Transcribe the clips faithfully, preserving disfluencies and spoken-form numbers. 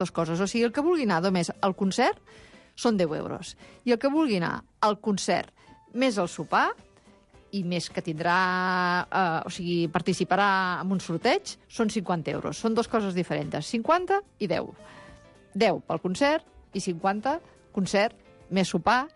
dues coses. O sigui, el que vulgui anar només al concert són deu euros. I el que vulgui anar al concert més el sopar, i més que tindrà, eh, o sigui, participarà en un sorteig, són cinquanta euros. Són dues coses diferents, cinquanta i deu. deu pel concert i cinquanta concert, més sopar,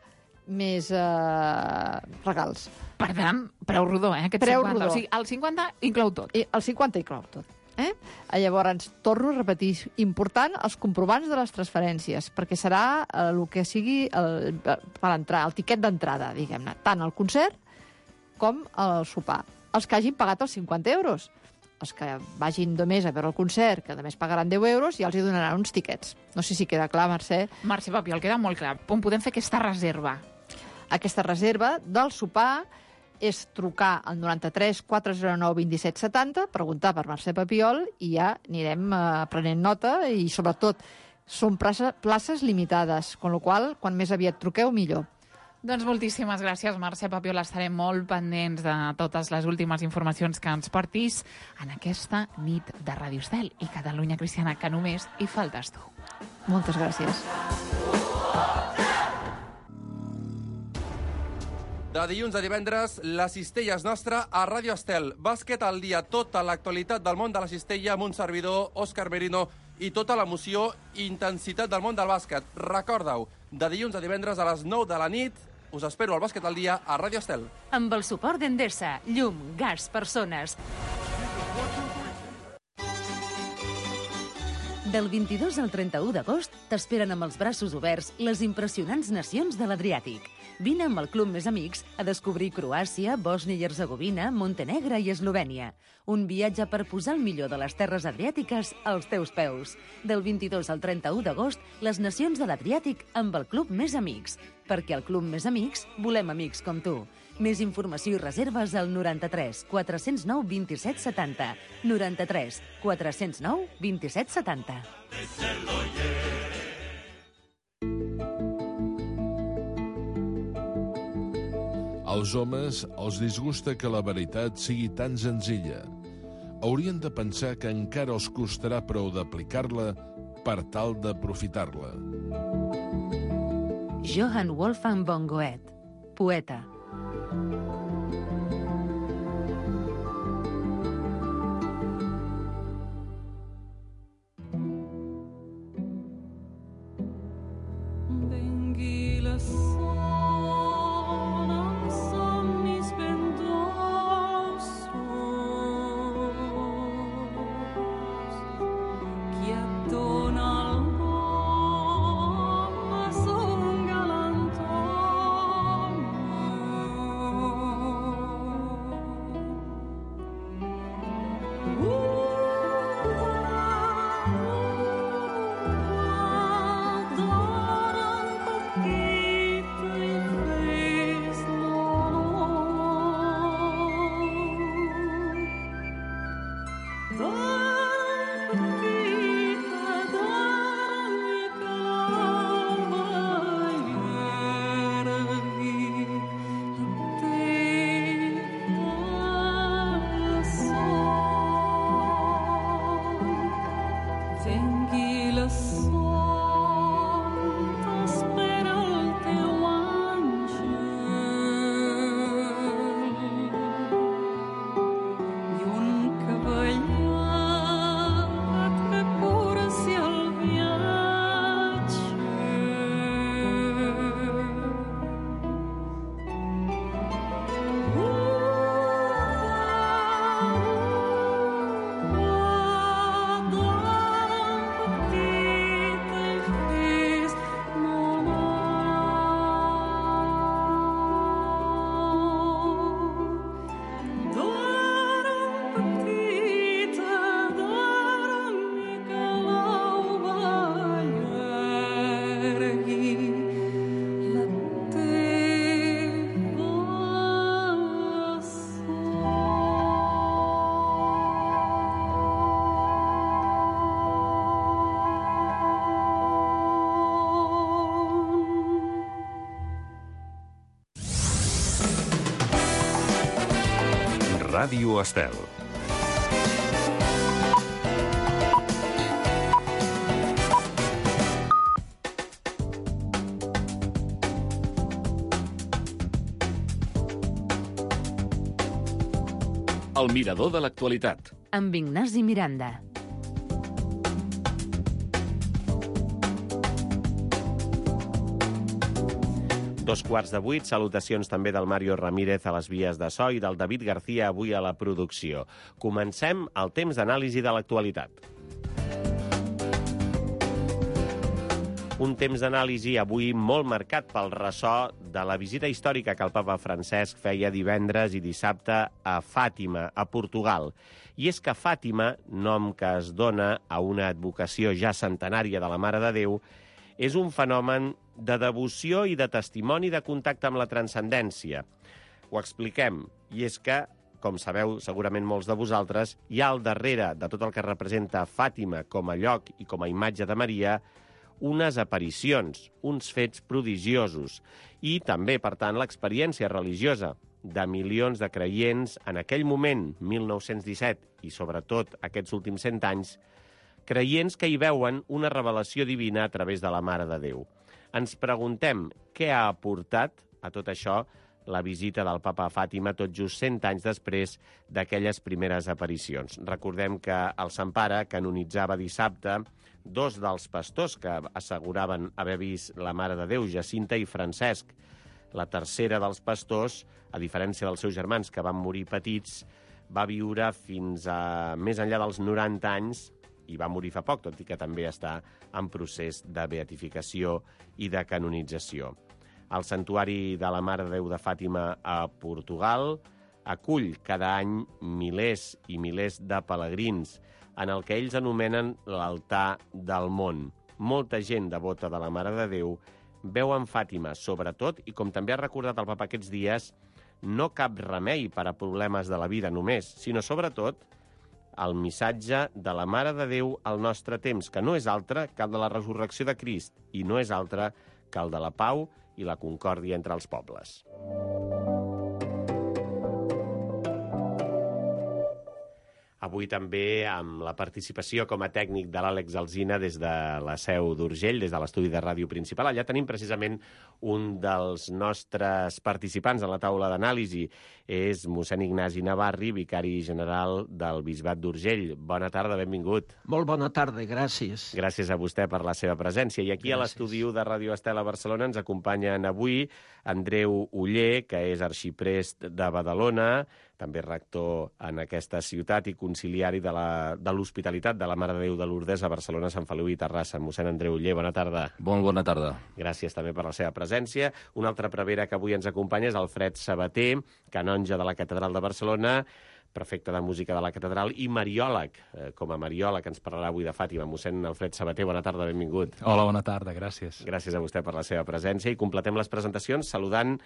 més eh, regals. Per tant, preu rodó, eh, aquest preu cinquanta. Rodó. O sigui, el cinquanta inclou tot. I el cinquanta inclou tot. Eh? Llavors, torno a repetir, important, els comprovants de les transferències, perquè serà eh, el que sigui el, per entrar, el tiquet d'entrada, diguem-ne, tant al concert com al sopar. Els que hagin pagat els cinquanta euros. Els que vagin només a veure el concert, que només pagaran deu euros, ja els hi donaran uns tiquets. No sé si queda clar, Mercè. Mercè Papiol, queda molt clar. On podem fer aquesta reserva? Aquesta reserva del sopar és trucar al noranta-tres quatre zero nou vint set setanta, preguntar per Mercè Papiol i ja anirem eh, prenent nota i, sobretot, són places, places limitades, amb la qual cosa, quan més aviat truqueu, millor. Doncs moltíssimes gràcies, Mercè Papiol. Estarem molt pendents de totes les últimes informacions que ens portis en aquesta nit de Ràdio Estel i Catalunya Cristiana, que només hi faltes tu. Moltes gràcies. De dilluns a divendres, la cistella és nostra a Ràdio Estel. Bàsquet al dia, tota l'actualitat del món de la cistella amb un servidor, Òscar Merino, i tota l'emoció i intensitat del món del bàsquet. Recorda-ho, de dilluns a divendres a les nou de la nit, us espero al Bàsquet al dia a Ràdio Estel. Amb el suport d'Endesa, llum, gas, persones. Del vint-i-dos al trenta-u d'agost t'esperen amb els braços oberts les impressionants nacions de l'Adriàtic. Vine amb el Club Més Amics a descobrir Croàcia, Bòsnia i Hercegovina, Montenegre i Eslovènia. Un viatge per posar el millor de les terres adriàtiques als teus peus. Del vint-i-dos al trenta-u d'agost, les nacions de l'Adriàtic amb el Club Més Amics. Perquè al Club Més Amics volem amics com tu. Més informació i reserves al noranta-tres quatre zero nou vint set setanta. noranta-tres quatre zero nou vint set setanta. Als homes els disgusta que la veritat sigui tan senzilla. Haurien de pensar que encara els costarà prou d'aplicar-la per tal d'aprofitar-la. Johann Wolfgang von Goethe, poeta. Ràdio Estel. El mirador de l'actualitat. Amb Ignasi Miranda. Dos quarts de vuit, salutacions també del Mario Ramírez a les vies de so i del David García avui a la producció. Comencem el temps d'anàlisi de l'actualitat. Un temps d'anàlisi avui molt marcat pel ressò de la visita històrica que el papa Francesc feia divendres i dissabte a Fàtima, a Portugal. I és que Fàtima, nom que es dona a una advocació ja centenària de la Mare de Déu, és un fenomen de devoció i de testimoni de contacte amb la transcendència. Ho expliquem, i és que, com sabeu segurament molts de vosaltres, hi ha al darrere de tot el que representa Fàtima com a lloc i com a imatge de Maria unes aparicions, uns fets prodigiosos i també, per tant, l'experiència religiosa de milions de creients en aquell moment, mil nou-cents disset, i sobretot aquests últims cent anys, creients que hi veuen una revelació divina a través de la Mare de Déu. Ens preguntem què ha aportat a tot això la visita del papa a Fàtima tot just cent anys després d'aquelles primeres aparicions. Recordem que el Sant Pare canonitzava dissabte dos dels pastors que asseguraven haver vist la Mare de Déu, Jacinta i Francesc. La tercera dels pastors, a diferència dels seus germans que van morir petits, va viure fins a més enllà dels noranta anys i va morir fa poc, tot i que també està en procés de beatificació i de canonització. El Santuari de la Mare de Déu de Fàtima a Portugal acull cada any milers i milers de pelegrins en el que ells anomenen l'altar del món. Molta gent devota de la Mare de Déu veu en Fàtima, sobretot, i com també ha recordat el papa aquests dies, no cap remei per a problemes de la vida només, sinó sobretot el missatge de la Mare de Déu al nostre temps, que no és altre que el de la resurrecció de Crist i no és altre que el de la pau i la concòrdia entre els pobles. Avui també amb la participació com a tècnic de l'Àlex Alsina des de la seu d'Urgell, des de l'estudi de ràdio principal. Allà tenim precisament un dels nostres participants en la taula d'anàlisi. És mossèn Ignasi Navarri, vicari general del Bisbat d'Urgell. Bona tarda, benvingut. Molt bona tarda, gràcies. Gràcies a vostè per la seva presència. I aquí gràcies. A l'estudi de Ràdio Estel a Barcelona ens acompanyen avui Andreu Oller, que és arxiprest de Badalona, també rector en aquesta ciutat i conciliari de l'Hospitalitat de, de la Mare de Déu de Lourdes a Barcelona, Sant Feliu i Terrassa. Mossèn Andreu Oller, bona tarda. Molt bona tarda. Gràcies també per la seva presència. Un altre prevere que avui ens acompanya és Alfred Sabater, canonge de la Catedral de Barcelona, prefecte de música de la Catedral i mariòleg. Com a mariòleg ens parlarà avui de Fàtima. Mossèn Alfred Sabater, bona tarda, benvingut. Hola, bona tarda, gràcies. Gràcies a vostè per la seva presència i completem les presentacions saludant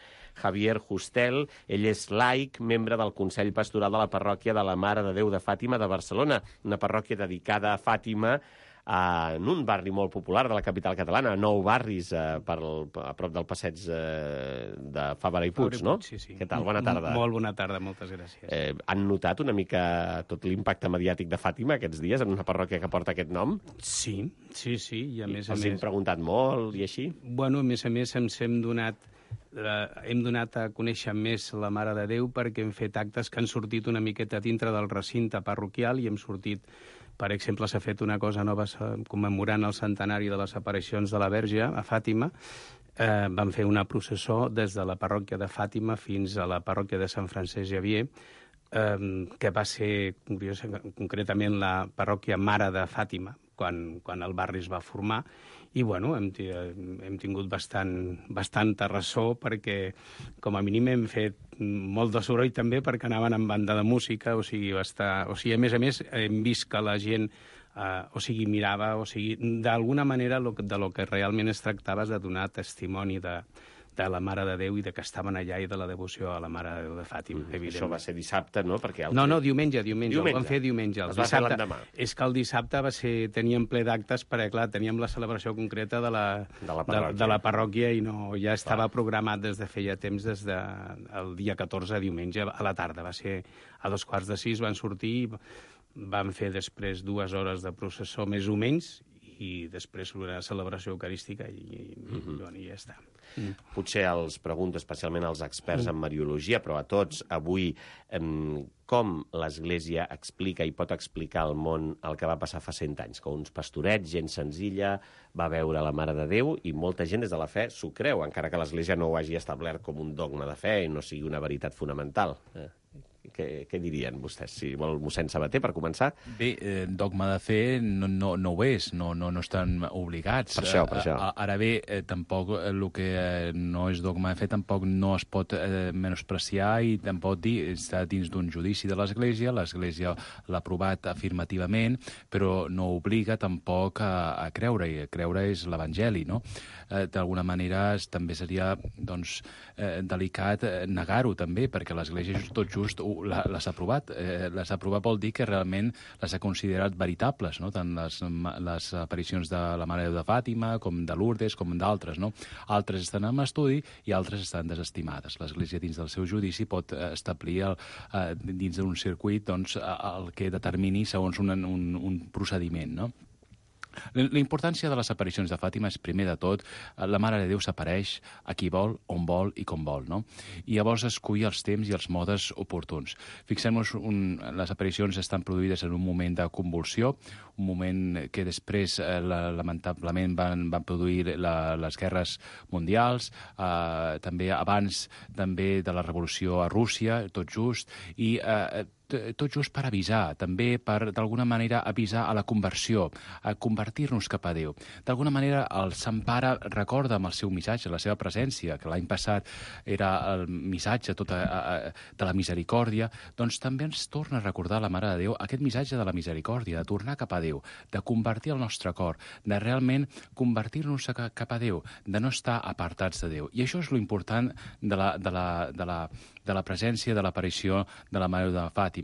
Javier Justel. Ell és laic, membre del Consell Pastoral de la Parròquia de la Mare de Déu de Fàtima de Barcelona, una parròquia dedicada a Fàtima, en un barri molt popular de la capital catalana, nou barris eh, per el, a prop del passeig eh, de Fabra i Puig, no? Sí, sí. Què tal? Bona tarda. Molt bona tarda, moltes gràcies. Eh, han notat una mica tot l'impacte mediàtic de Fàtima aquests dies en una parròquia que porta aquest nom? Sí, sí, sí. I a més a Els més... hem preguntat molt i així? Bueno, a més a més ens hem donat... Eh, hem donat a conèixer més la Mare de Déu perquè hem fet actes que han sortit una miqueta dintre del recinte parroquial i hem sortit, per exemple, s'ha fet una cosa nova commemorant el centenari de les aparicions de la Verge a Fàtima. Eh, vam fer una processó des de la parròquia de Fàtima fins a la parròquia de Sant Francesc Xavier, eh, que va ser concretament la parròquia Mare de Fàtima, quan, quan el barri es va formar. I, bueno, hem, hem tingut bastant, bastanta ressò perquè, com a mínim, hem fet molt de soroll també perquè anaven amb banda de música, o sigui, va estar... o sigui, a més a més, hem vist que la gent, eh, o sigui, mirava, o sigui, d'alguna manera lo, de lo que realment es tractava és de donar testimoni de, de la Mare de Déu i de que estaven allà i de la devoció a la Mare de Déu de Fàtima, mm, evidentment. Això va ser dissabte, no? Perquè el... No, no, diumenge, diumenge, diumenge. El vam fer diumenge. El es va fer l'endemà. És que el dissabte va ser, teníem ple d'actes perquè, clar, teníem la celebració concreta de la, de la parròquia, de, de la parròquia i no, ja estava clar. Programat des de feia temps, des del de, dia catorze, diumenge, a la tarda. Va ser a dos quarts de sis, van sortir, van fer després dues hores de processó, més o menys, i després una celebració eucarística i, i, mm-hmm. bueno, i ja està. Mm. Potser els pregunto especialment als experts en mariologia, però a tots avui, eh, com l'Església explica i pot explicar al món el que va passar fa cent anys, que uns pastorets, gent senzilla, va veure la Mare de Déu i molta gent des de la fe s'ho creu, encara que l'Església no ho hagi establert com un dogma de fe i no sigui una veritat fonamental. Eh. Què, què dirien vostès? Si vol mossèn Sabater, per començar. Bé, eh, dogma de fe no, no, no ho és, no, no, no estan obligats. Per això, per això. A, a, ara bé, eh, tampoc el que eh, no és dogma de fe tampoc no es pot eh, menospreciar i tampoc dir, està dins d'un judici de l'Església, l'Església l'ha aprovat afirmativament, però no obliga tampoc a, a creure-hi. Creure és l'Evangeli, no? Eh, D'alguna manera també seria doncs, eh, delicat eh, negar-ho també, perquè l'Església tot just les ha aprovat. Eh, les ha aprovat vol dir que realment les ha considerat veritables, no? Tant les, les aparicions de la Mare de Déu de Fàtima, com de Lourdes, com d'altres, no? Altres estan en estudi i altres estan desestimades. L'Església, dins del seu judici, pot establir el, eh, dins d'un circuit doncs, el que determini segons un, un, un procediment, no? La importància de les aparicions de Fàtima és, primer de tot, la Mare de Déu s'apareix a qui vol, on vol i com vol, no? I llavors escull els temps i els modes oportuns. Fixem-nos, un, les aparicions estan produïdes en un moment de convulsió, un moment que després, eh, lamentablement, van, van produir la, les guerres mundials, eh, també abans també de la revolució a Rússia, tot just, i eh, tot just per avisar, també per, d'alguna manera, avisar a la conversió, a convertir-nos cap a Déu. D'alguna manera, el Sant Pare recorda amb el seu missatge, la seva presència, que l'any passat era el missatge tot a, a, de la misericòrdia, doncs també ens torna a recordar la Mare de Déu aquest missatge de la misericòrdia, de tornar cap a Déu, de convertir el nostre cor, de realment convertir-nos cap a Déu, de no estar apartats de Déu. I això és l'important de la, de la, de la, de la presència, de l'aparició de la Mare de Fàtima.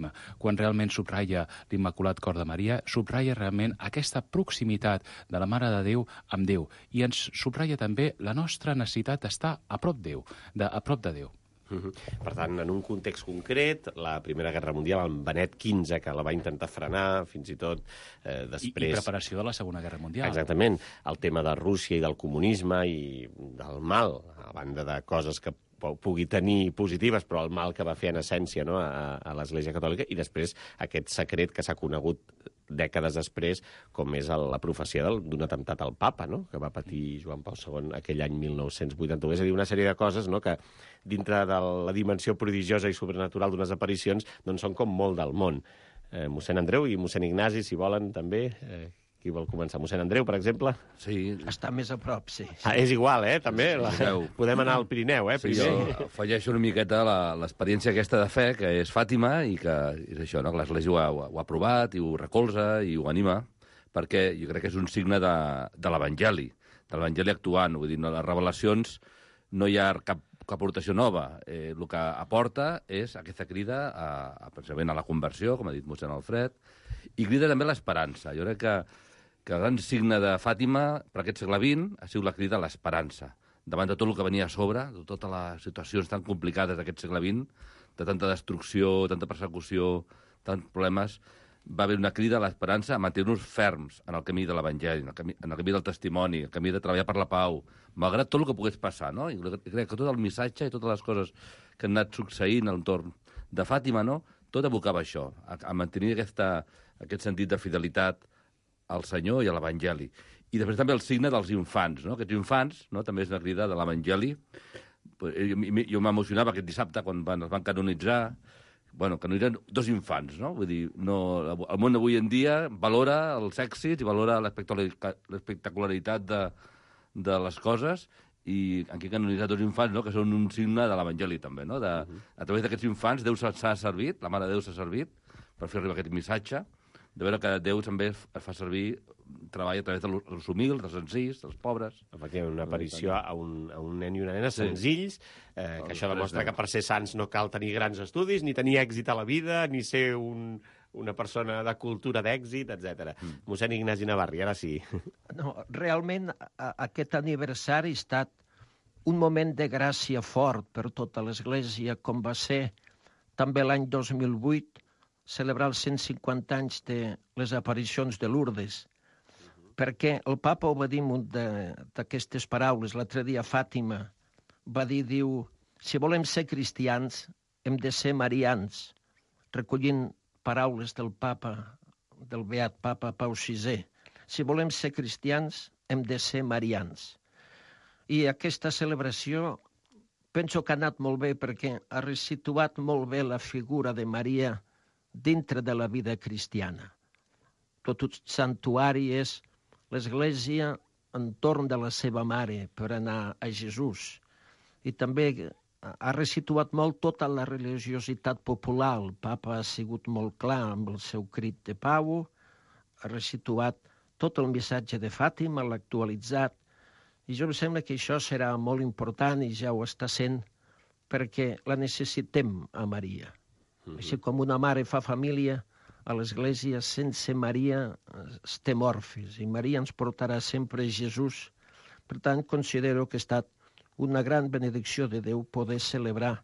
Quan realment subratlla l'Immaculat Cor de Maria, subratlla realment aquesta proximitat de la Mare de Déu amb Déu i ens subratlla també la nostra necessitat d'estar a prop Déu, de, a prop de Déu. Uh-huh. Per tant, en un context concret, la Primera Guerra Mundial, el Benet quinze, que la va intentar frenar, fins i tot eh, després... I, I preparació de la Segona Guerra Mundial. Exactament. El tema de Rússia i del comunisme i del mal, a banda de coses que pugui tenir positives, però el mal que va fer en essència, no?, a, a l'Església Catòlica, i després aquest secret que s'ha conegut dècades després, com és el, la profecia d'un atemptat al papa, no?, que va patir Joan Pau segon aquell any mil nou-cents vuitanta-u. És a dir, una sèrie de coses, no?, que dintre de la dimensió prodigiosa i sobrenatural d'unes aparicions doncs són com molt del món. Eh, mossèn Andreu i mossèn Ignasi, si volen, també... Eh, Qui vol començar? Mossèn Andreu, per exemple? Sí. Està més a prop, sí. sí. Ah, és igual, eh, també. Sí, sí, la... Podem anar al Pirineu, eh, primer. Sí, jo afegeixo una miqueta l'experiència aquesta de fe, que és Fàtima, i que és això, no?, que l'Església ho, ha, ho ha aprovat, i ho recolza, i ho anima, perquè jo crec que és un signe de, de l'Evangeli, de l'Evangeli actuant. Vull dir, no, les revelacions no hi ha cap, cap aportació nova. Eh, el que aporta és aquesta crida a, a, precisament a la conversió, com ha dit mossèn Alfred, i crida també a l'esperança. Jo crec que que el gran signe de Fàtima per aquest segle vint ha sigut la crida a l'esperança. Davant de tot el que venia a sobre, de totes les situacions tan complicades d'aquest segle vint, de tanta destrucció, tanta persecució, tants problemes, va haver una crida a l'esperança a mantenir-nos ferms en el camí de l'Evangeli, en, el camí, en el camí del testimoni, en el camí de treballar per la pau, malgrat tot el que pogués passar, no? I crec que tot el missatge i totes les coses que han anat succeint al entorn de Fàtima, no?, tot abocava això, a, a mantenir aquesta, aquest sentit de fidelitat al Senyor i a l'Evangeli. I després també el signe dels infants, no? Aquests infants, no?, també és una crida de l'Evangeli. Jo m'emocionava aquest dissabte quan van, es van canonitzar, bueno, canonitzen dos infants, no? Vull dir, no, el món avui en dia valora els èxits i valora l'espectacularitat de, de les coses, i aquí canonitzar dos infants, no?, que són un signe de l'Evangeli també, no? De, a través d'aquests infants Déu s'ha servit, la Mare de Déu s'ha servit per fer arribar aquest missatge, de veure que Déu també es fa servir, treballa a través dels humils, dels senzills, dels pobres. Efectivament, una aparició a un, a un nen i una nena senzills, eh, que això demostra que per ser sants no cal tenir grans estudis, ni tenir èxit a la vida, ni ser un, una persona de cultura d'èxit, etcètera. Mm. Mossèn Ignasi Navarri, ara sí. No, realment a, aquest aniversari ha estat un moment de gràcia fort per tota l'Església, com va ser també l'any dos mil vuit, celebrar els cent cinquanta anys de les aparicions de Lourdes. perquè el papa ho va dir d'aquestes paraules. L'altre dia Fàtima va dir, diu, si volem ser cristians hem de ser marians, recollint paraules del papa, del beat papa Pau sisè. Si volem ser cristians hem de ser marians. I aquesta celebració penso que ha anat molt bé perquè ha resituat molt bé la figura de Maria dintre de la vida cristiana. Tot un santuari és l'Església entorn de la seva mare per anar a Jesús. I també ha resituat molt tota la religiositat popular. El papa ha sigut molt clar amb el seu crit de pau, ha resituat tot el missatge de Fàtima, l'ha actualitzat. I jo em sembla que això serà molt important i ja ho està sent perquè la necessitem a Maria. Mm-hmm. Així com una mare fa família, a l'Església sense Maria estem orfes i Maria ens portarà sempre a Jesús. Per tant, considero que ha estat una gran benedicció de Déu poder celebrar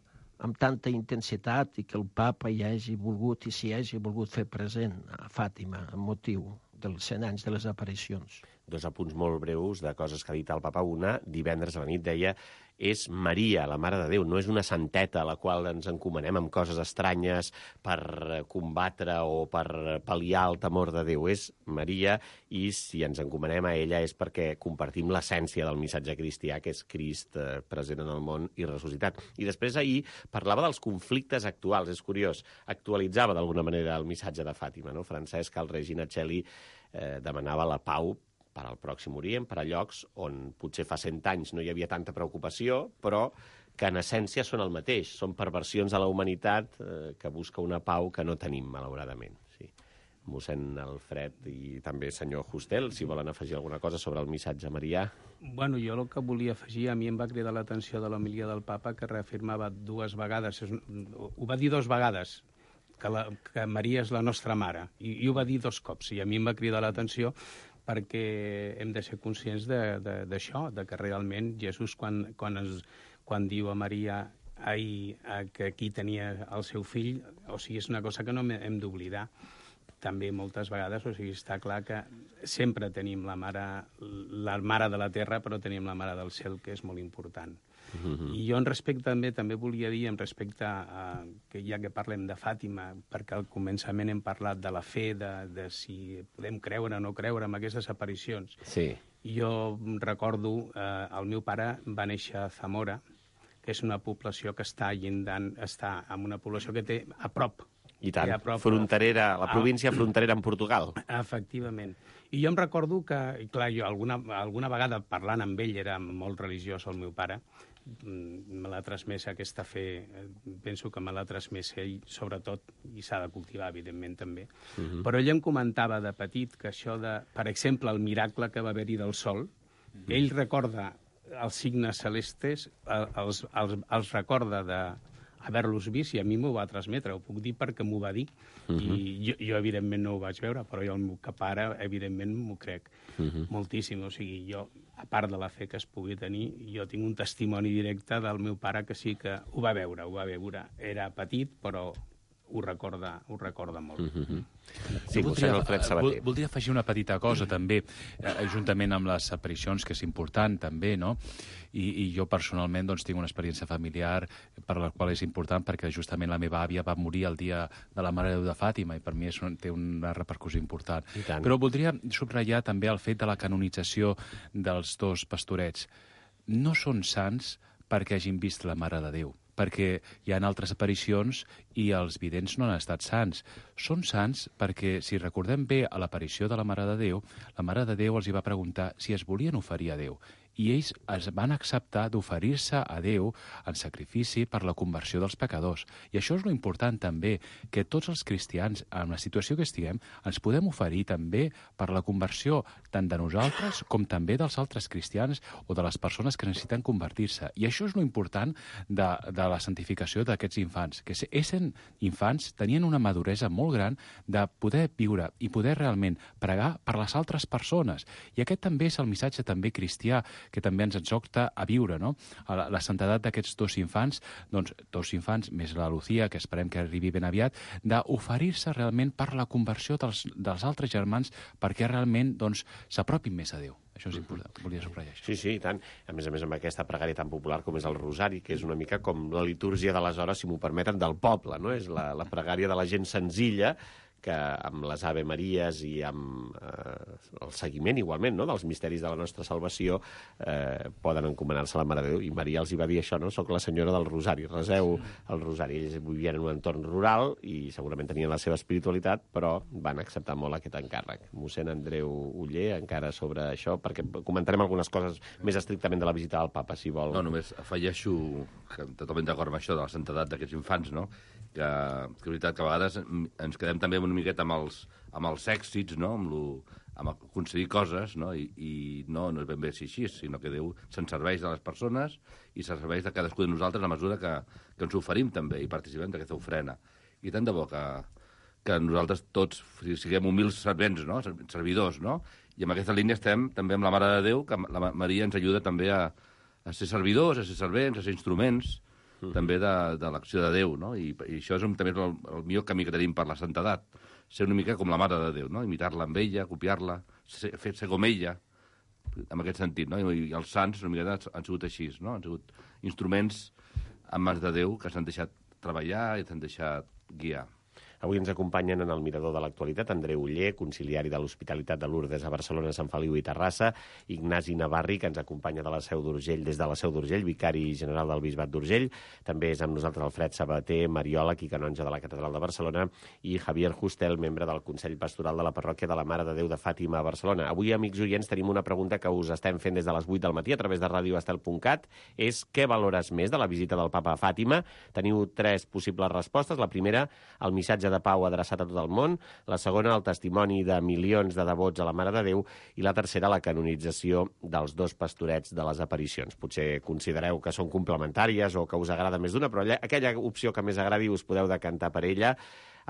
amb tanta intensitat i que el papa hi hagi volgut i s'hi hagi volgut fer present a Fàtima amb motiu dels cent anys de les aparicions. Dos apunts molt breus de coses que ha dit el papa. Una, divendres a la nit deia, és Maria, la Mare de Déu, no és una santeta a la qual ens encomanem amb coses estranyes per combatre o per pal·liar el temor de Déu. És Maria i si ens encomanem a ella és perquè compartim l'essència del missatge cristià, que és Crist eh, present en el món i ressuscitat. I després ahir parlava dels conflictes actuals, és curiós, actualitzava d'alguna manera el missatge de Fàtima, no? Francesc al Regina Coeli eh, demanava la pau per al Pròxim Orient, per a llocs on potser fa cent anys no hi havia tanta preocupació, però que en essència són el mateix. Són perversions a la humanitat eh, que busca una pau que no tenim, malauradament. Sí. Mossèn Alfred i també senyor Justel, si volen afegir alguna cosa sobre el missatge marià. Bueno, jo el que volia afegir, a mi em va cridar l'atenció de l'homilia del papa, que reafirmava dues vegades, ho va dir dues vegades, que, la, que Maria és la nostra mare, i, i ho va dir dos cops, i a mi em va cridar l'atenció perquè hem de ser conscients d'això, de, de, de que realment Jesús, quan, quan, es, quan diu a Maria ai, que aquí tenia el seu fill, o sigui, és una cosa que no hem d'oblidar. També moltes vegades, o sigui, està clar que sempre tenim la mare, la mare de la terra, però tenim la mare del cel, que és molt important. Uh-huh. I jo en respecte també també volia dir, en respecte a, que ja que parlem de Fàtima, perquè al començament hem parlat de la fe, de, de si podem creure o no creure en aquestes aparicions. Sí. Jo recordo, eh, el meu pare va néixer a Zamora, que és una població que està llindant, està en una població que té a prop. I tant, prop, fronterera, la província fronterera amb Portugal. Efectivament. I jo em recordo que, clar, jo alguna, alguna vegada parlant amb ell, era molt religiós el meu pare, me l'ha transmès aquesta fe, penso que me l'ha transmès ell, sobretot, i s'ha de cultivar, evidentment, també. Uh-huh. Però ell em comentava de petit que això de, per exemple, el miracle que va haver-hi del sol, uh-huh. ell recorda els signes celestes, els, els, els recorda de haver-los vist, i a mi m'ho va transmetre, ho puc dir perquè m'ho va dir. Uh-huh. I jo, jo, evidentment, no ho vaig veure, però jo el meu pare, evidentment, m'ho crec uh-huh. moltíssim. O sigui, jo, a part de la fe que es pugui tenir, jo tinc un testimoni directe del meu pare que sí que ho va veure, ho va veure. Era petit, però ho recorda, ho recorda molt. Mm-hmm. Sí, voldria, vol, voldria afegir una petita cosa, també, eh, juntament amb les aparicions, que és important, també, no? I, i jo, personalment, doncs, tinc una experiència familiar per la qual és important, perquè justament la meva àvia va morir el dia de la Mare de Déu de Fàtima, i per mi és un, té una repercussió important. Però voldria subratllar també el fet de la canonització dels dos pastorets. No són sants perquè hagin vist la Mare de Déu, perquè hi ha altres aparicions i els vidents no han estat sants. Són sants perquè, si recordem bé a l'aparició de la Mare de Déu, la Mare de Déu els hi va preguntar si es volien oferir a Déu. I ells es van acceptar d'oferir-se a Déu en sacrifici per la conversió dels pecadors. I això és lo important també, que tots els cristians, en la situació que estiguem, ens podem oferir també per la conversió tant de nosaltres com també dels altres cristians o de les persones que necessiten convertir-se. I això és lo important de, de la santificació d'aquests infants, que essent infants tenien una maduresa molt gran de poder viure i poder realment pregar per les altres persones. I aquest també és el missatge també cristià, que també ens exhorta a viure, no? La, la santedat d'aquests dos infants, doncs dos infants, més la Lucía, que esperem que arribi ben aviat, d'oferir-se realment per la conversió dels, dels altres germans perquè realment doncs, s'apropin més a Déu. Això és important, volia subratllar això. Sí, sí, i tant. A més a més, amb aquesta pregària tan popular com és el Rosari, que és una mica com la litúrgia de les hores, si m'ho permeten, del poble, no? És la, la pregària de la gent senzilla, que amb les Ave Maries i amb eh, el seguiment, igualment, no?, dels misteris de la nostra salvació, eh, poden encomanar-se a la Mare de Déu. I Maria els hi va dir això, no?, soc la senyora del Rosari, reseu el Rosari. Ells vivien en un entorn rural i segurament tenien la seva espiritualitat, però van acceptar molt aquest encàrrec. Mossèn Andreu Oller, encara sobre això, perquè comentarem algunes coses més estrictament de la visita del papa, si vol. No, només afegeixo, que totalment d'acord amb això de la santedat d'aquests infants, no?, que, que és veritat que a vegades ens quedem també una miqueta amb els, amb els èxits, no?, amb, lo, amb aconseguir coses, no?, I, i no, no és ben bé així, sinó que Déu se'n serveix de les persones i se'n serveix de cadascú de nosaltres a mesura que, que ens oferim també i participem d'aquesta ofrena. I tant de bo que, que nosaltres tots siguem humils servents, no?, servidors, no?, i amb aquesta línia estem també amb la Mare de Déu, que la Maria ens ajuda també a, a ser servidors, a ser servents, a ser instruments, Mm. també de, de l'acció de Déu, no? I, i això és un, també el, el millor camí que tenim per la santedat, ser una mica com la Mare de Déu, no? Imitar-la amb ella, copiar-la, ser, fer, ser com ella, en aquest sentit, no? I, i els sants una mica han sigut així, no? Han sigut instruments en mans de Déu que s'han deixat treballar i s'han deixat guiar. Avui ens acompanyen en el Mirador de l'Actualitat Andreu Oller, conciliari de l'Hospitalitat de Lourdes a Barcelona, Sant Feliu i Terrassa, Ignasi Navarri, que ens acompanya de la Seu d'Urgell, des de la Seu d'Urgell, vicari general del Bisbat d'Urgell. També és amb nosaltres Alfred Sabater, mariòleg i canonge de la Catedral de Barcelona, i Javier Justel, membre del Consell Pastoral de la Parròquia de la Mare de Déu de Fàtima a Barcelona. Avui, amics oients, tenim una pregunta que us estem fent des de les vuit del matí a través de radio estel punt cat. És què valores més de la visita del papa a Fàtima? Teniu tres possibles respostes. La primera, el missatge de pau adreçat a tot el món, la segona, el testimoni de milions de devots a la Mare de Déu, i la tercera, la canonització dels dos pastorets de les aparicions. Potser considereu que són complementàries o que us agrada més d'una, però aquella opció que més agradi us podeu decantar per ella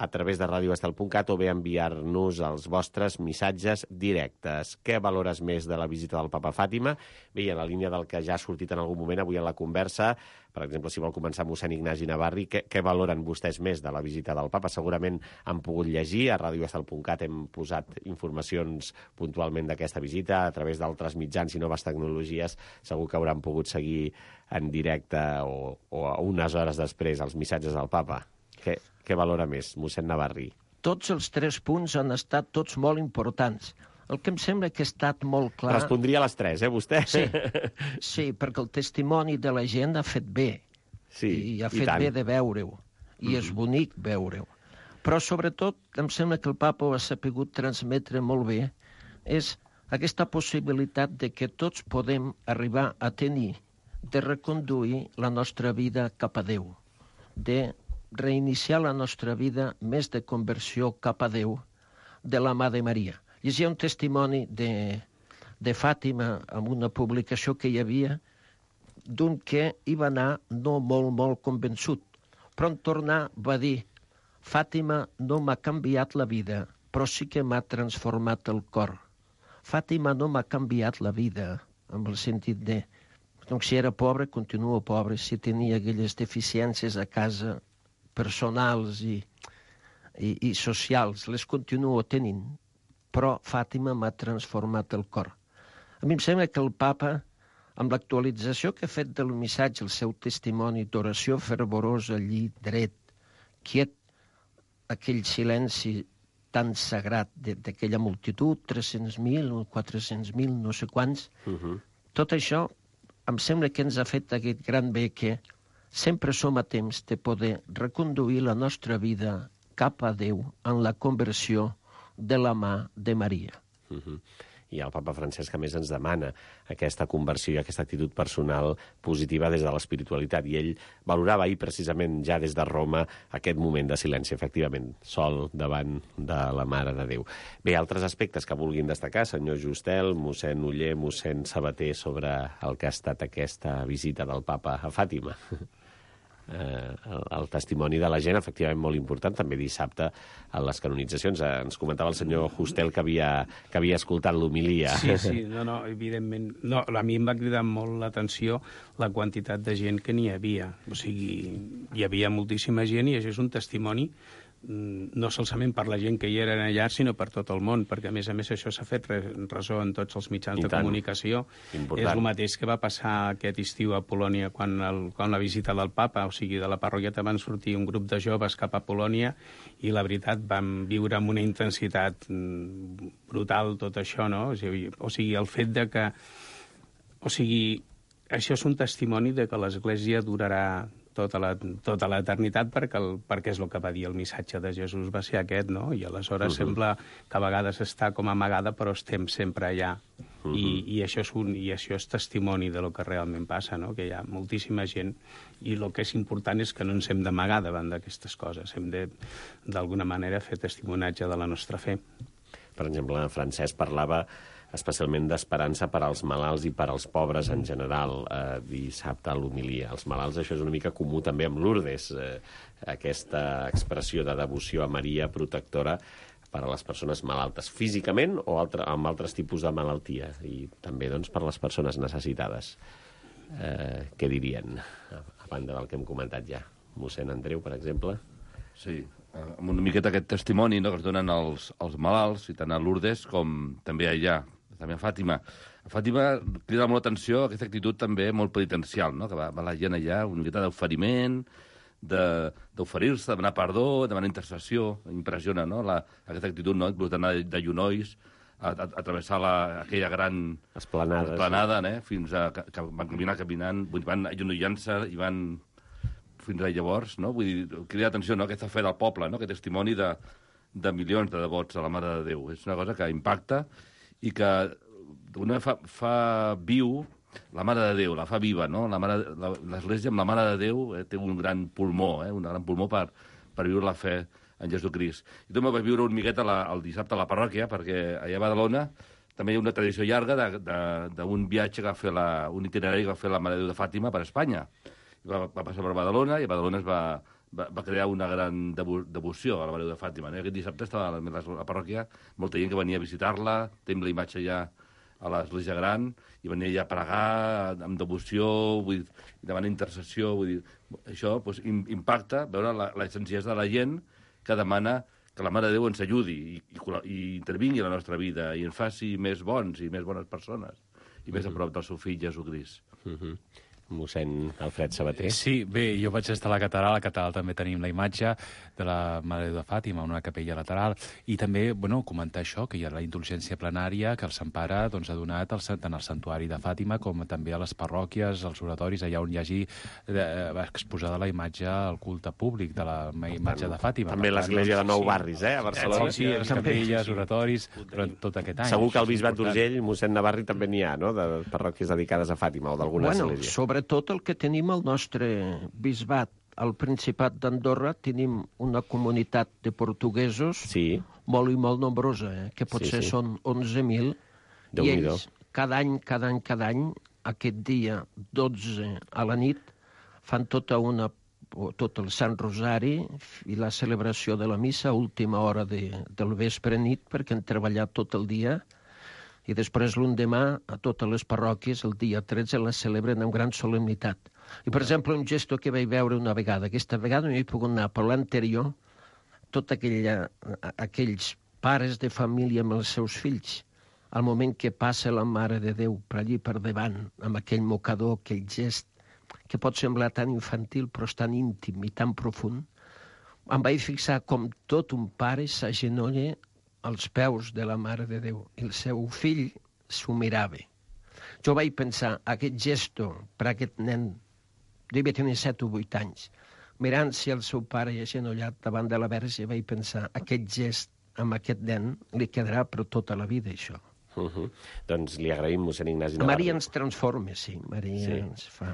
a través de radio estel punt cat o bé enviar-nos els vostres missatges directes. Què valores més de la visita del papa a Fàtima? Bé, en la línia del que ja ha sortit en algun moment avui en la conversa, per exemple, si vol començar mossèn Ignasi Navarri, què, què valoren vostès més de la visita del papa? Segurament han pogut llegir, a radio estel punt cat hem posat informacions puntualment d'aquesta visita, a través d'altres mitjans i noves tecnologies segur que hauran pogut seguir en directe o, o unes hores després els missatges del papa. Què, què valora més, mossèn Navarri? Tots els tres punts han estat tots molt importants. El que em sembla que ha estat molt clar... Respondria a les tres, eh, vostè? Sí, sí, perquè el testimoni de la gent ha fet bé. Sí, i ha i fet tant. bé de veure-ho. I mm-hmm. és bonic veure-ho. Però, sobretot, em sembla que el papa ho ha sapigut transmetre molt bé, és aquesta possibilitat de que tots podem arribar a tenir, de reconduir la nostra vida cap a Déu, de reiniciar la nostra vida més de conversió cap a Déu de la mà de Maria. Llegia un testimoni de, de Fàtima amb una publicació que hi havia d'un que hi va anar no molt, molt convençut, però en tornar va dir: Fàtima no m'ha canviat la vida, però sí que m'ha transformat el cor. Fàtima no m'ha canviat la vida, amb el sentit de... Donc, si era pobre, continuo pobre. Si tenia aquelles deficiències a casa, personals i, i, i socials, les continuo tenint, però Fàtima m'ha transformat el cor. A mi em sembla que el papa, amb l'actualització que ha fet del missatge, el seu testimoni d'oració fervorosa allí, dret, quiet, aquell silenci tan sagrat d'aquella multitud, tres-cents mil o quatre-cents mil, no sé quants, uh-huh. Tot això em sembla que ens ha fet aquest gran bé que sempre som a temps de poder reconduir la nostra vida cap a Déu en la conversió de la mà de Maria. Uh-huh. I el papa Francesc, a més, ens demana aquesta conversió i aquesta actitud personal positiva des de l'espiritualitat. I ell valorava ahir, precisament, ja des de Roma, aquest moment de silenci, efectivament, sol davant de la Mare de Déu. Bé, altres aspectes que vulguin destacar, senyor Justel, mossèn Oller, mossèn Sabater, sobre el que ha estat aquesta visita del papa a Fàtima. eh, el, el testimoni de la gent, efectivament molt important, també dissabte a les canonitzacions. Eh, ens comentava el senyor Hustel que havia, que havia escoltat l'homilia. Sí, sí, no, no, evidentment. No, a mi em va cridar molt l'atenció la quantitat de gent que n'hi havia. O sigui, hi havia moltíssima gent i això és un testimoni no solament per la gent que hi eren allà, sinó per tot el món, perquè a més a més això s'ha fet ressò en tots els mitjans de comunicació. Important. És el mateix que va passar aquest estiu a Polònia quan, el, quan la visita del papa, o sigui, de la parroquiata van sortir un grup de joves cap a Polònia i la veritat vam viure amb una intensitat brutal tot això, no? O sigui, o sigui el fet de que... O sigui, això és un testimoni de que l'Església durarà tota la, tota l'eternitat perquè, el, perquè és el que va dir el missatge de Jesús, va ser aquest, no? I aleshores uh-huh. sembla que a vegades està com amagada, però estem sempre allà. Uh-huh. I, i, això és un, I això és testimoni de lo que realment passa, no? Que hi ha moltíssima gent i el que és important és que no ens hem d'amagar davant d'aquestes coses. Hem de, d'alguna manera, fer testimonatge de la nostra fe. Per exemple, Francesc parlava especialment d'esperança per als malalts i per als pobres en general, eh, dissabte a l'homilia. Els malalts, això és una mica comú també amb Lourdes, eh, aquesta expressió de devoció a Maria protectora per a les persones malaltes, físicament o altre, amb altres tipus de malaltia, i també doncs, per a les persones necessitades. Eh, què dirien, a banda del que hem comentat ja? Mossèn Andreu, per exemple? Sí, amb una miqueta aquest testimoni, no?, que es donen els, els malalts, i tant a Lourdes com també allà, també a Fàtima. A Fàtima crida molt l'atenció aquesta actitud també molt penitencial, no?, que va, va la gent allà, una miqueta d'oferiment, d'oferir-se, de, demanar perdó, demanar intercessió. Impressiona, no?, la, aquesta actitud, no?, inclús d'anar de genolls a, a, a travessar la, aquella gran esplanada, esplanada sí. eh, fins a que, que van caminar caminant, van agenollant-se i van fins a llavors, no? Vull dir, crida l'atenció, no?, aquesta fe del poble, no?, aquest testimoni de, de milions de devots a la Mare de Déu. És una cosa que impacta i que d'una fa, fa viu la Mare de Déu, la fa viva, no? L'Església amb la Mare de Déu eh, té un gran pulmó, eh, un gran pulmó per, per viure la fe en Jesucrist. I també vaig viure un miqueta la, el dissabte a la parròquia, perquè allà a Badalona també hi ha una tradició llarga d'un viatge que va fer la, un itinerari que va fer la Mare de Déu de Fàtima per Espanya. Va, va passar per Badalona i a Badalona es va, va, va crear una gran devo, devoció a la Mare de Fàtima. No? Aquest dissabte estava a la, a la parròquia molta gent que venia a visitar-la, tenim la imatge ja a l'Església Gran, i venia ja a pregar amb devoció, vull dir, demanar intercessió, vull dir, això doncs, impacta veure la, la senzillesa de la gent que demana que la Mare de Déu ens ajudi i, i, i intervingui a la nostra vida i ens faci més bons i més bones persones i més uh-huh. a prop del seu fill Jesucrist. Uh-huh. Mossèn Alfred Sabater. Sí, bé, jo vaig estar a la catedral, a la catedral també tenim la imatge de la Mare de Fàtima, una capella lateral, i també, bueno, comentar això, que hi ha la indulgència plenària que el Sant Pare doncs, ha donat al, tant al santuari de Fàtima com també a les parròquies, als oratoris, allà on hi hagi eh, exposada la imatge al culte públic de la imatge de Fàtima. També l'església de Nou Barris, eh, a Barcelona. Sí, sí, les capelles, oratoris, durant tot aquest any. Segur que al Bisbat d'Urgell, mossèn Navarri, també n'hi ha, no?, de parròquies dedicades a Fàtima o d'alguna bueno, església. Sobre tot el que tenim al nostre bisbat, al Principat d'Andorra, tenim una comunitat de portuguesos sí. molt i molt nombrosa, eh? que potser sí, sí. són onze mil, i ells cada any, cada any, cada any, aquest dia dotze a la nit, fan tota una, tot el Sant Rosari i la celebració de la missa a última hora de, del vespre nit, perquè han treballat tot el dia, i després l'endemà a totes les parròquies, el dia tretze, la celebren amb gran solemnitat. I, per exemple, un gesto que vaig veure una vegada, aquesta vegada no hi he pogut anar, però l'anterior, tots aquella, aquells pares de família amb els seus fills, al moment que passa la Mare de Déu per allí per davant, amb aquell mocador, aquell gest, que pot semblar tan infantil però és tan íntim i tan profund, em vaig fixar com tot un pare s'agenolla als peus de la Mare de Déu, i el seu fill s'ho mirava. Jo vaig pensar, aquest gesto per aquest nen, devia tenir set o vuit anys, mirant-se el seu pare agenollat davant de la Verge, vaig pensar, aquest gest amb aquest nen li quedarà per tota la vida, això. Uh-huh. Doncs li agraïm, mossèn Ignasi Navarro. Maria ens transforma, sí, Maria sí. ens fa...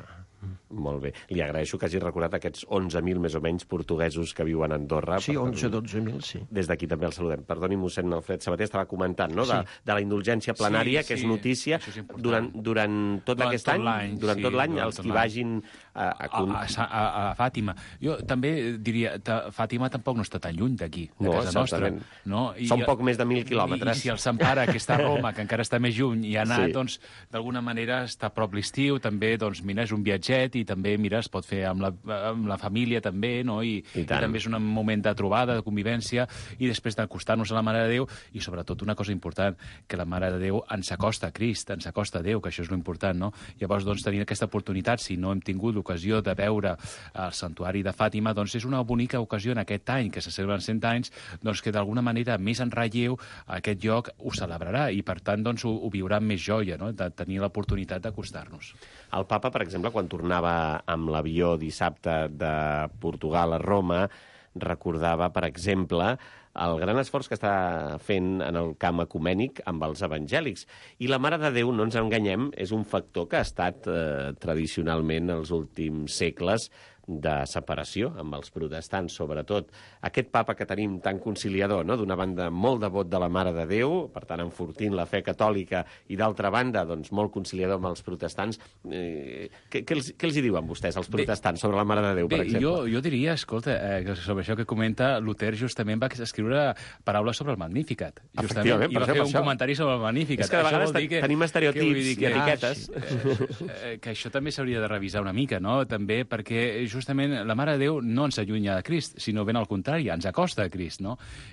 Molt bé. Li agraeixo que hagi recordat aquests onze mil més o menys portuguesos que viuen a Andorra. Sí, onze dotze mil, sí. Des d'aquí també el saludem. Perdoni, mossèn Alfred Sabater, estava comentant, no?, de, de la indulgència plenària, sí, que és sí, notícia és durant, durant tot durant aquest tot any, durant sí, tot l'any, durant els tot qui l'any. vagin a, a, A, a, a, a Fàtima. Jo també diria, ta, Fàtima tampoc no està tan lluny d'aquí, de No, casa nostra. certament. No? I, Són poc més de mil quilòmetres. I, i si el Sant Pare, que està a Roma, que encara està més lluny, i ha anat, Sí. doncs, d'alguna manera està a prop l'estiu, també, doncs, mira, és un viatget, i també, mira, es pot fer amb la, amb la família, també, no? I, I i tant. també és un moment de trobada, de convivència, i després d'acostar-nos a la Mare de Déu, i sobretot una cosa important, que la Mare de Déu ens acosta a Crist, ens acosta a Déu, que això és l'important, no? Llavors, doncs, tenir aquesta oportunitat, si no hem tingut l'ocasió de veure el santuari de Fàtima, doncs és una bonica ocasió en aquest any, que se celebren cent anys, doncs que d'alguna manera més en relleu aquest lloc ho celebrarà, i per tant, doncs, ho, ho viurà amb més joia, no?, de tenir l'oportunitat d'acostar-nos. El papa, per exemple, quan tornava amb l'avió dissabte de Portugal a Roma, recordava, per exemple, el gran esforç que està fent en el camp ecumènic amb els evangèlics. I la Mare de Déu, no ens enganyem, és un factor que ha estat eh, tradicionalment els últims segles de separació amb els protestants, sobretot. Aquest papa que tenim tan conciliador, no?, d'una banda molt devot de la Mare de Déu, per tant enfortint la fe catòlica, i d'altra banda, doncs, molt conciliador amb els protestants. Eh, què, què, els, què els hi diuen vostès, els protestants, sobre la Mare de Déu, per Bé, exemple? jo, jo diria, escolta, eh, sobre això que comenta, Luther justament va escriure paraules sobre el Magnificat. Efectivament, I va per fer això, un per comentari sobre el Magnificat. És que de Això vegades vol dir que, tenim estereotips que vull dir que, i etiquetes. Ah, eh, que això també s'hauria de revisar una mica, no?, també, perquè justament la Mare de Déu no ens allunya de Crist, sinó ben al contrari, ens acosta a Crist, no?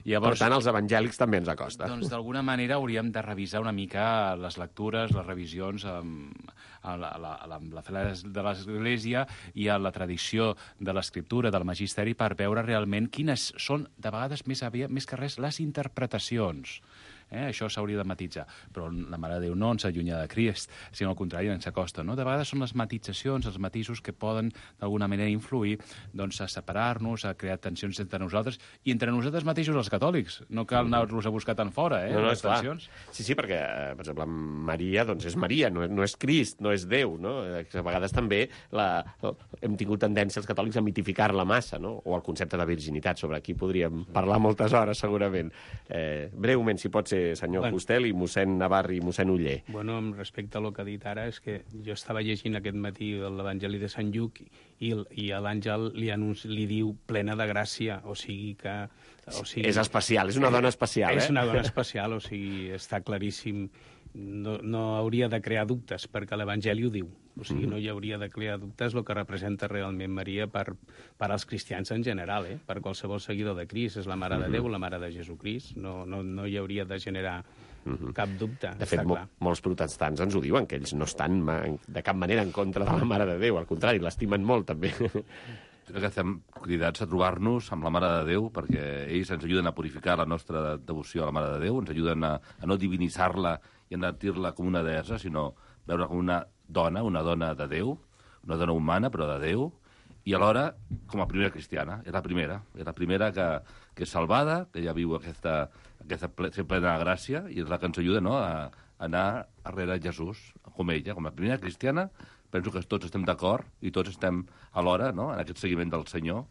Llavors, Per tant, els evangèlics també ens acosta. doncs, d'alguna manera, hauríem de revisar una mica les lectures, les revisions amb, amb, la, la, la, amb la fe de l'Església i a la tradició de l'Escriptura, del Magisteri, per veure realment quines són, de vegades, més, aviat, més que res, les interpretacions. Eh? Això s'hauria de matitzar. Però la Mare de Déu no ens allunya de Crist, sinó al contrari, ens acosta. No? De vegades són les matitzacions, els matisos que poden d'alguna manera influir, doncs, a separar-nos, a crear tensions entre nosaltres i entre nosaltres mateixos els catòlics. No cal anar-los a buscar tan fora, eh, No, no, les és clar. tensions. Sí, sí, perquè, eh, per exemple, Maria, doncs és Maria, no, no és Crist, no és Déu, no? Eh, A vegades també la, hem tingut tendència els catòlics a mitificar-la massa, no? O el concepte de virginitat, sobre aquí podríem parlar moltes hores, segurament. Eh, breument, si pot ser, senyor Bueno. Fustel, i mossèn Navarri i mossèn Uller. Bueno, amb respecte al que ha dit ara, és que jo estava llegint aquest matí l'Evangeli de Sant Lluc i, el- i a l'àngel li, anunci, li diu plena de gràcia, o sigui que... O sigui, És especial, és una dona especial, és eh? una dona especial, o sigui, està claríssim. No, no hauria de crear dubtes, perquè l'Evangeli ho diu. O sigui, no hi hauria de crear dubtes el que representa realment Maria per, per als cristians en general, eh? Per qualsevol seguidor de Crist. És la Mare de Déu, la Mare de Jesucrist. No, no, no hi hauria de generar cap dubte, De fet, està mo clar. molts protestants ens ho diuen, que ells no estan ma de cap manera en contra de la Mare de Déu, al contrari, l'estimen molt, també. Crec que estem cridats a trobar-nos amb la Mare de Déu, perquè ells ens ajuden a purificar la nostra devoció a la Mare de Déu, ens ajuden a, a no divinitzar-la i a no dir-la com una deessa, sinó veure com una dona, una dona de Déu, una dona humana, però de Déu, i alhora com a primera cristiana. És la primera, és la primera que, que és salvada, que ja viu aquesta, aquesta ple, ser plena de gràcia, i és la que ens ajuda, no?, a, a anar darrere Jesús, com ella, com la primera cristiana. Penso que tots estem d'acord i tots estem alhora, no?, en aquest seguiment del Senyor,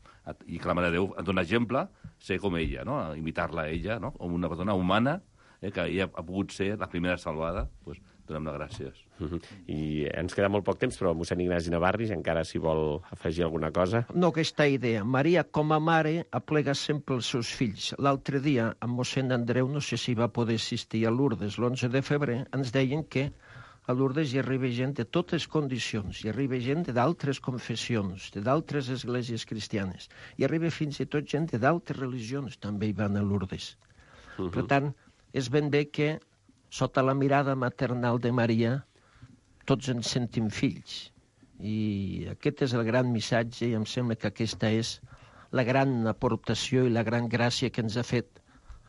i que la Mare de Déu ens dona exemple, ser com ella, no?, imitar-la a ella, no?, com una persona humana, eh, que ella ha pogut ser la primera salvada, doncs donem les gràcies. Uh -huh. I ens queda molt poc temps, però mossèn Ignasi Navarri, encara si vol afegir alguna cosa. No, aquesta idea. Maria, com a mare, aplega sempre els seus fills. L'altre dia, amb mossèn Andreu, no sé si va poder assistir a Lourdes, l'onze de febrer, ens deien que a Lourdes hi arriba gent de totes condicions, hi arriba gent d'altres confessions, d'altres esglésies cristianes, hi arriba fins i tot gent d'altres religions, també hi van a Lourdes. Uh -huh. Per tant, és ben bé que, sota la mirada maternal de Maria, tots ens sentim fills. I aquest és el gran missatge, i em sembla que aquesta és la gran aportació i la gran gràcia que ens ha fet,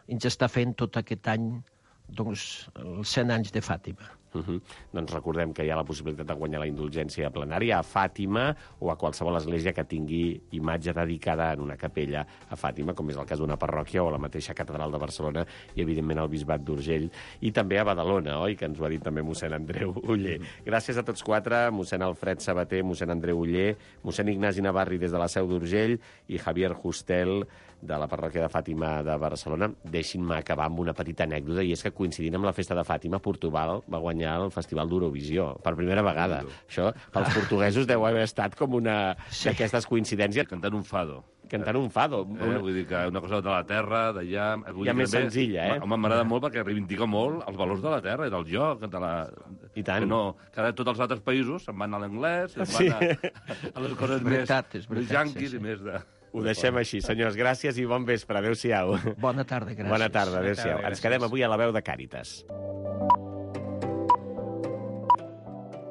ens està fent tot aquest any, doncs, els cent anys de Fàtima. Uh -huh. Doncs recordem que hi ha la possibilitat de guanyar la indulgència plenària a Fàtima o a qualsevol església que tingui imatge dedicada en una capella a Fàtima, com és el cas d'una parròquia o la mateixa catedral de Barcelona i, evidentment, el bisbat d'Urgell. I també a Badalona, oi?, que ens ho ha dit també mossèn Andreu Oller. Gràcies a tots quatre, mossèn Alfred Sabater, mossèn Andreu Oller, mossèn Ignasi Navarri des de la Seu d'Urgell i Javier Justel de la parròquia de Fàtima de Barcelona. Deixin-me acabar amb una petita anècdota, i és que coincidint amb la festa de Fàtima, Portugal va guanyar el Festival d'Eurovisió, per primera vegada. Això, pels portuguesos, deu haver estat com una sí. d'aquestes coincidències. Cantant un fado. Cantant un fado. Eh, vull dir que una cosa de la terra, d'allà... Ja més també, senzilla, eh? Home, m'agrada molt perquè reivindica molt els valors de la terra i del joc, de la... I tant. Que no, que tots els altres països se'n van a l'anglès, se'n sí. van a, a les coses és veritat, més, és veritat, més yanquis sí, sí. i més de... Ho deixem així, senyors. Gràcies i bon vespre. Adéu-siau. Bona tarda, gràcies. Bona tarda, adéu-siau. Bona tarda, Ens quedem avui a la veu de Càritas.